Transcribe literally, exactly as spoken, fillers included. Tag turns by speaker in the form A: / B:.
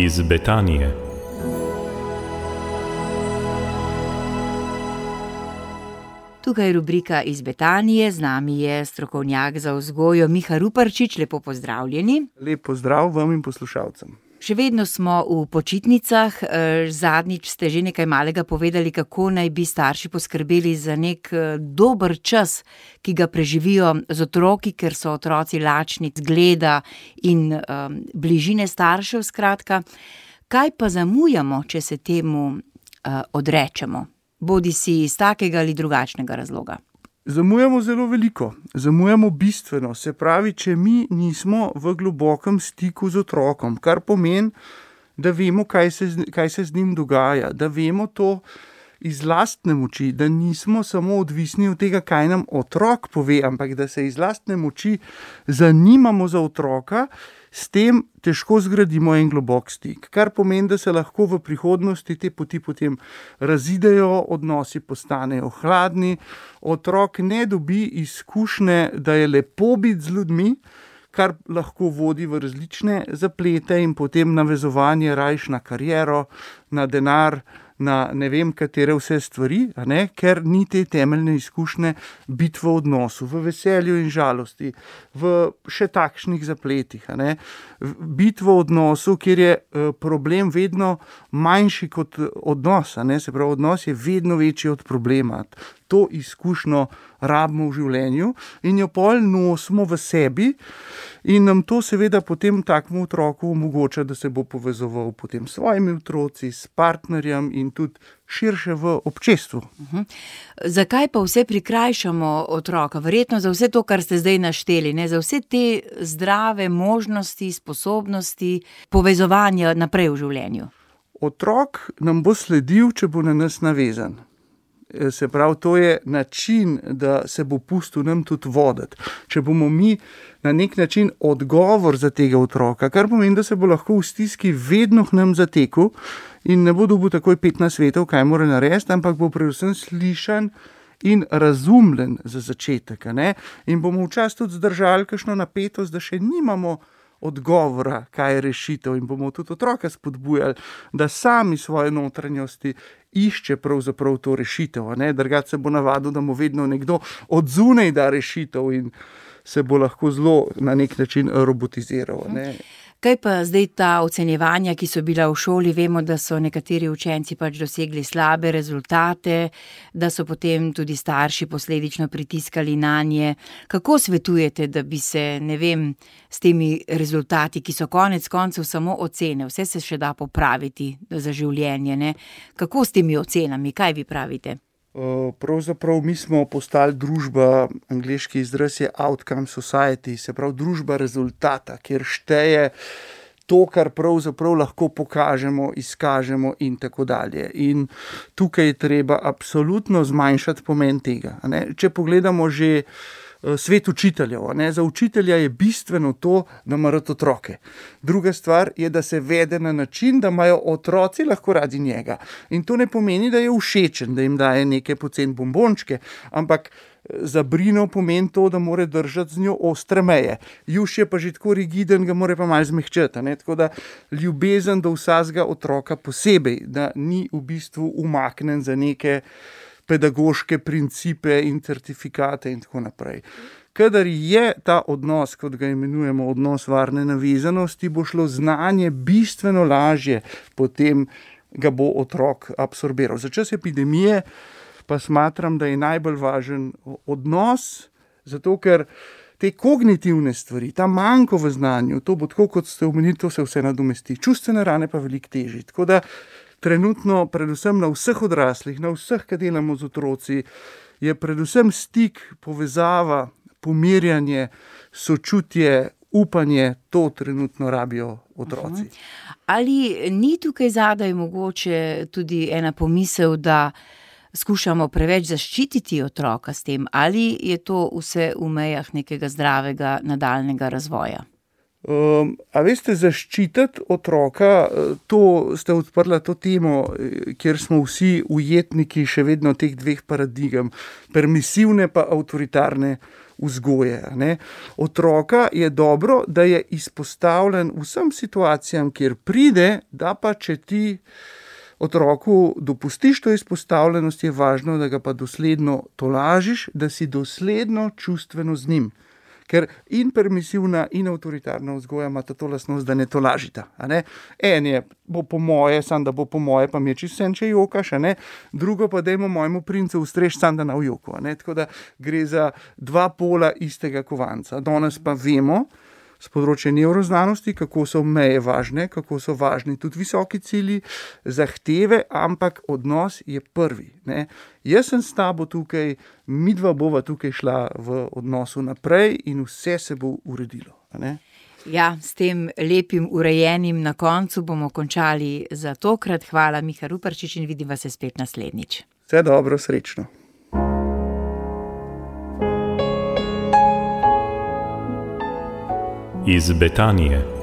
A: iz Betanije.
B: Tukaj je rubrika iz Betanije, z nami je strokovnjak za vzgojo Miha Ruparčič, lepo pozdravljeni.
C: Lep pozdrav vam in poslušalcem.
B: Še vedno smo v počitnicah, zadnjič ste že nekaj malega povedali, kako naj bi starši poskrbeli za nek dober čas, ki ga preživijo z otroki, ker so otroci lačni zgleda in um, bližine staršev, skratka. Kaj pa zamujamo, če se temu uh, odrečemo? Bodi si iz takega ali drugačnega razloga.
C: Zamujamo zelo veliko, zamujamo bistveno, se pravi, če mi nismo v globokem stiku z otrokom, kar pomeni, da vemo, kaj se, kaj se z njim dogaja, da vemo to iz lastne moči, da nismo samo odvisni od tega, kaj nam otrok pove, ampak da se iz lastne moči zanimamo za otroka, s tem težko zgradimo en globok stik, kar pomeni, da se lahko v prihodnosti te poti potem razidejo, odnosi postanejo hladni, otrok ne dobi izkušnje, da je lepo biti z ljudmi, kar lahko vodi v različne zaplete in potem navezovanje rajš na kariero, na denar, na ne vem katere vse stvari, a ne? Ker ni te temeljne izkušnje biti v odnosu, v veselju in žalosti, v še takšnih zapletih, a ne? Biti v odnosu, kjer je problem vedno manjši kot odnos, a ne? Se pravi, odnos je vedno večji od problema. To izkušnjo rabimo v življenju in jo pol nosimo v sebi in nam to seveda potem takemu otroku omogoča, da se bo povezoval potem s svojimi otroci, s partnerjem in tudi širše v občestvu.
B: Uh-huh. Zakaj pa vse prikrajšamo otroka? Verjetno za vse to, kar ste zdaj našteli, ne? Za vse te zdrave možnosti, sposobnosti povezovanja naprej v življenju.
C: Otrok nam bo sledil, če bo na nas navezan. Se pravi, to je način, da se bo pustil nam tudi voditi. Če bomo mi na nek način odgovor za tega otroka, kar pomeni, da se bo lahko v stiski vedno k nam zatekel in ne bo dobil takoj petnajst svetov, kaj mora narediti, ampak bo predvsem slišan in razumljen za začetek. Ne? In bomo včasih tudi zdržali kakšno napetost, da še nimamo odgovora, kaj je rešitev in bomo tudi otroka spodbujali, da sami svoje notranjosti išče pravzaprav to rešitev. Drugače se bo navadil, da mu vedno nekdo od zunaj da rešitev in se bo lahko zelo na nek način robotiziral. Ne?
B: Kaj pa zdaj ta ocenjevanja, ki so bila v šoli? Vemo, da so nekateri učenci pač dosegli slabe rezultate, da so potem tudi starši posledično pritiskali nanje. Kako svetujete, da bi se, ne vem, s temi rezultati, ki so konec koncev samo ocene, vse se še da popraviti za življenje, ne? Kako s temi ocenami, kaj vi pravite?
C: Pravzaprav mi smo postali družba, angleški izraz je outcome society, se pravi družba rezultata, kjer šteje to, kar pravzaprav lahko pokažemo, izkažemo in tako dalje. In tukaj je treba absolutno zmanjšati pomen tega. Ne? Če pogledamo že svet učiteljev, ne? Za učitelja je bistveno to, da ima rad otroke. Druga stvar je, da se vede na način, da imajo otroci lahko radi njega. In to ne pomeni, da je všečen, da jim daje neke poceni bombončke, ampak za Brino pomeni to, da mora držati z njo ostre meje. Juš je pa že tako rigiden, ga mora pa malo zmehčati. Ne? Tako da ljubezen do vsakega otroka posebej, da ni v bistvu umaknen za neke pedagoške principe in certifikate in tako naprej. Kadar je ta odnos, kot ga imenujemo odnos varne navezanosti, bo šlo znanje bistveno lažje, potem ga bo otrok absorbiral. Za čas epidemije pa smatram, da je najbolj važen odnos, zato ker te kognitivne stvari, ta manjko v znanju, to bo tako, kot ste omenili, to se vse nadomesti. Čustvene rane pa veliko težji. Tako da trenutno, predvsem na vseh odraslih, na vseh, ki delamo z otroci, je predvsem stik, povezava, pomirjanje, sočutje, upanje, to trenutno rabijo otroci.
B: Ali ni tukaj zadaj mogoče tudi ena pomisel, da skušamo preveč zaščititi otroka s tem, ali je to vse v mejah nekega zdravega nadaljnega razvoja?
C: Um, a veste, zaščititi otroka, to ste odprla to temo, kjer smo vsi ujetniki še vedno teh dveh paradigem, permisivne pa avtoritarne vzgoje. Ne. Otroka je dobro, da je izpostavljen vsem situacijam, kjer pride, da pa če ti otroku dopustiš to izpostavljenost, je važno, da ga pa dosledno tolažiš, da si dosledno čustveno z njim. Ker in permisivna in avtoritarna vzgoja imata to lastnost, da ne tolažita. A ne? En je, bo po moje, sam da bo po moje, pa mi je čisto vseeno, če jokaš, a ne? Drugo pa dajmo mojemu princu ustreči, sam da ne v joku. A ne? Tako da gre za dva pola istega kovanca. Danes pa vemo z področja nevroznanosti, kako so meje važne, kako so važni tudi visoki cilji, zahteve, ampak odnos je prvi. Ne? Jaz sem s tabo tukaj, midva bova tukaj šla v odnosu naprej in vse se bo uredilo. A ne?
B: Ja, s tem lepim urejenim na koncu bomo končali za tokrat. Hvala, Miha Ruparčič, in vidiva se spet naslednjič.
C: Vse dobro, srečno.
A: Iz Betanije.